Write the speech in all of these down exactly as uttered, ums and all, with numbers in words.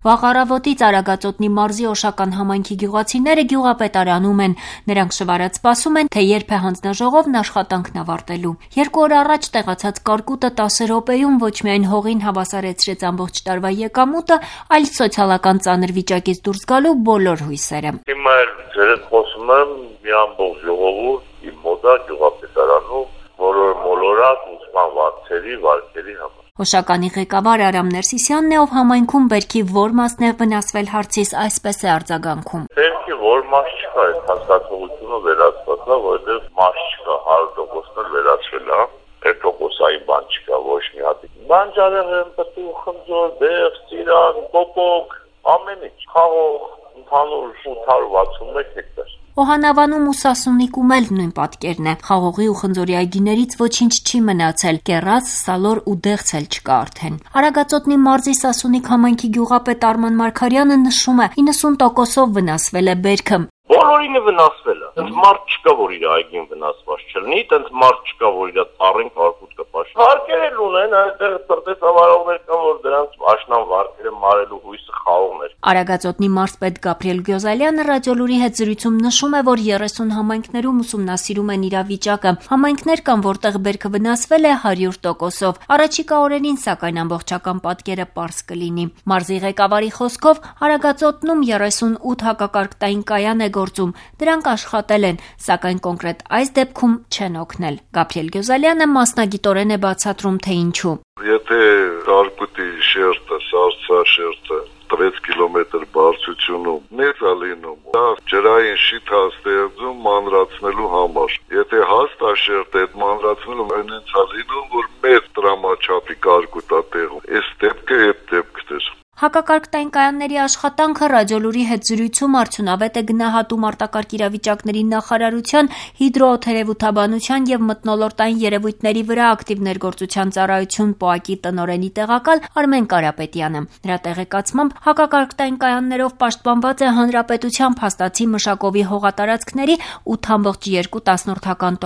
Վաղ առավոտից Արագածոտնի մարզի Օշական համայնքի գյուղացիները գյուղապետարանում են։ Նրանք շվարած սպասում են, թե երբ է հանձնաժողովն աշխատանքն ավարտելու։ Երկու օր առաջ տեղացած կարկուտը տասը րոպեում ոչ միայն հողին հավասարեցրեց ամբողջ տարվա եկամուտը, այլ սոցիալական ծանր վիճակից դուրս գալու բոլոր հույսերը։ Հիմա էլ ձերդ խոսում եմ մի ամբողջ ժողովուրդ իմ մոտ է գյուղապետարանում, բոլոր մոլորակ ուսման վարձերի, վարկերի համար։ Օշականի ղեկավար Արամ Ներսիսյանն է, ով համայնքում բերքի որ մասն է վնասվել հարցից այսպես է արձագանքում։ Բերքի որ մաս չկա, այդ հասկացողությունը վերացված է, որովհետև մաս չկա, հարյուր տոկոսն էլ վերացվել է, այդ տոկոսային բան չկա, ոչ մի հատ։ Բանջարեղեն են, պտուղ, խնձոր, բեղ, ծիրան, պոպոկ, ամեն ինչ, խաղող, ընդհանուր ութ հարյուր վաթսունմեկ հեկտար։ Օհանավանում ու Սասունիկում էլ նույն պատկերն է։ Խաղողի ու խնձորի այգիներից ոչինչ չի մնացել, կեռաց, սալոր ու դեղց էլ չկա արդեն։ Արագածոտնի մարզի Սասունիկ համայնքի գյուղապետ Արման Մարգարյանը նշում է, իննսուն տոկոսով վնասվել է բերքը։ Բոլորինը վնասվել է։ Այդ մարդ չկա, որ իր այգին վնասված չլինի, այդ մարդ չկա, որ իր ծառին կարկուտ կպաշտի։ Վարկեր ունեն, այդտեղ տնտեսավարողներ կան, որ դրանց աշնան վարկերը մարելու հույսը խաղողն էր։ Արագածոտնի մարզպետ Գաբրիել Գյոզալյանը ռադիոլուրի հետ զրույցում նշում է, որ երեսուն համայնքներում ուսումնասիրում են իրավիճակը։ Համայնքներ կան, որտեղ բերքը վնասվել է հարյուր տոկոսով։ Առաջիկա օրերին, սակայն, ամբողջական պատկերը պարզ կլինի։ Մարզի ղեկավարի խոսքով Արագածոտնում երեսունութ հակակարգտային կայան է գործում, դրանք աշխատել են, սակայն կոնկրետ այս դեպքում չեն օգնել։ Գաբրիել Գյոզալյանը մասնագիտորեն է բացատրում, թե ինչու։ Եթե կարկուտի շերտը, սառցաշերտը տվեց կիլոմետր բարձրությունում մեծ է լինում, դա ջրային շիթ է ստեղծում մանրացնելու համար։ Եթե հաստ է շերտը, այդ մանրացնելու այնց է լինում, որ մեծ տրամաչափի կարկուտ է տեղում։ Այս դեպքը այդ դեպքն էր։ Հակակարգտային կայանների աշխատանքը ռադիոլուրի հետ զրույցում արդյունավետ է գնահատում արտակարգ իրավիճակների նախարարության հիդրոթերևութաբանության եւ մթնոլորտային երևույթների վրա ակտիվ ներգործության ծառայություն ՊՕԱԿ-ի տնօրենի տեղակալ Արմեն Կարապետյանը։ Նրա տեղեկացմամբ հակակարգտային կայաններով պաշտպանված է հանրապետության փաստացի մշակովի հողատարածքների ութ ամբողջ երկու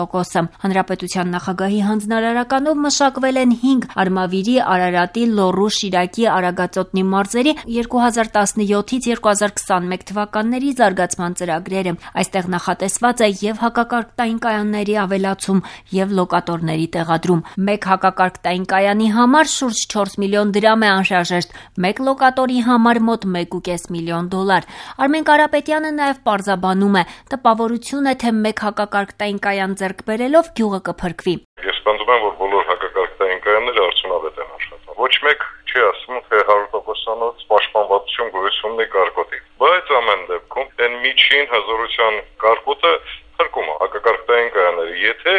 տոկոսը։ Հանրապետության նախագահի հանձնարարականով մշակվել են հինգ Արմավիրի, Արարատի, Լոռու, Շիրակի, Արագածոտնի մարզերի երկու հազար տասնյոթից երկու հազար քսանմեկ թվականների զարգացման ծրագրերը։ Այստեղ նախատեսված է եւ հակակարգտային կայանների ավելացում եւ լոկատորների տեղադրում։ Մեկ հակակարգտային կայանի համար շուրջ չորս միլիոն դրամ է անհրաժեշտ, մեկ լոկատորի համար մոտ մեկ ու կես միլիոն դոլար։ Արմեն Կարապետյանը նաեւ պարզաբանում է, տպավորություն է, թե մեկ հակակարգտային կայան ձեռք բերելով գյուղը կփրկվի։ Ես պնդում եմ, որ բոլոր հակակարգտային կայանները արդյունավետ են աշխատում։ Ոչ մեկ չի ասում, թե հարյուր տոկոսանոց պաշտպանվածություն գոյություն ունի կարկուտի։ Բայց ամեն դեպքում այն միջին հզորության կարկուտը փրկում է հակակարգտային կայանները։ Եթե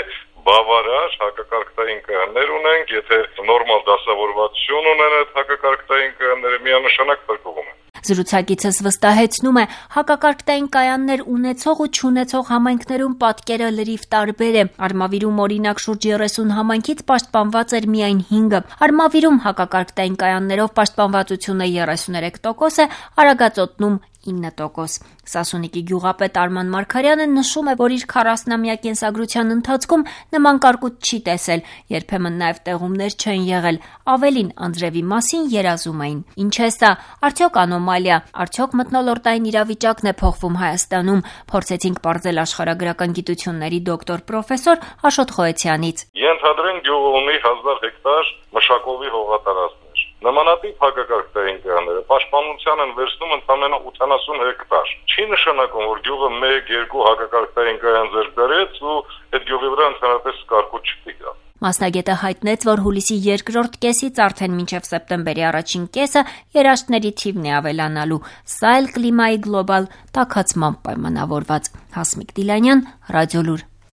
բավարար հակակարգտային կայաններ ունենք, եթե նորմալ դասավորվածություն ունեն այդ հակակարգտային կայանները, միանշանակ փրկվում են։ Զրուցակիցս վստահեցնում է, հակակարգտային կայաններ ունեցող ու չունեցող համայնքներում պատկերը լրիվ տարբեր է։ Արմավիրում օրինակ շուրջ երեսուն համայնքից պաշտպանված էր միայն հինգը։ Արմավիրում հակակարգտային կայաններով պաշտպանվածությունը երեսուներեք տոկոս է, Արագածոտնում ինը տոկոս։ Սասունիկի գյուղապետ Արման Մարգարյանը նշում է, որ իր քառասնամյա կենսագրության ընթացքում նման կարկուտ չի տեսել, երբեմն նաև տեղումներ չեն եղել, ավելին անձրևի մասին երազում էին։ Ինչ է սա, արդյոք անոմալիա, արդյոք մթնոլորտային իրավիճակն է փոխվում Հայաստանում, փորձեցինք պարզել աշխարհագրական գիտությունների դոկտոր պրոֆեսոր Աշոտ Խոյեցյանից։ Ենթադրենք գյուղը ունի հազար հեկտար մշակովի հողատարածքներ։ Նմանատիպ հակակարգտային կայանները պաշտպանության են վերցնում ընդամենը ութանասուն հեկտար։ Չի նշանակում, որ գյուղը մեկ երկու հակակարգտային կայան ձեռք բերեց ու այդ գյուղի վրա ընդհանրապես կարկուտ չտիգա։ Մասնագետը հայտնեց, որ հուլիսի երկրորդ կեսից արդեն մինչև սեպտեմբերի առաջին կեսը երաշտների թիվն է ավելանալու։ Սա էլ կլիմայի գլոբալ տաքացման պայմանավորված։ Հասմիկ Դիլանյան, Ռադիոլուր։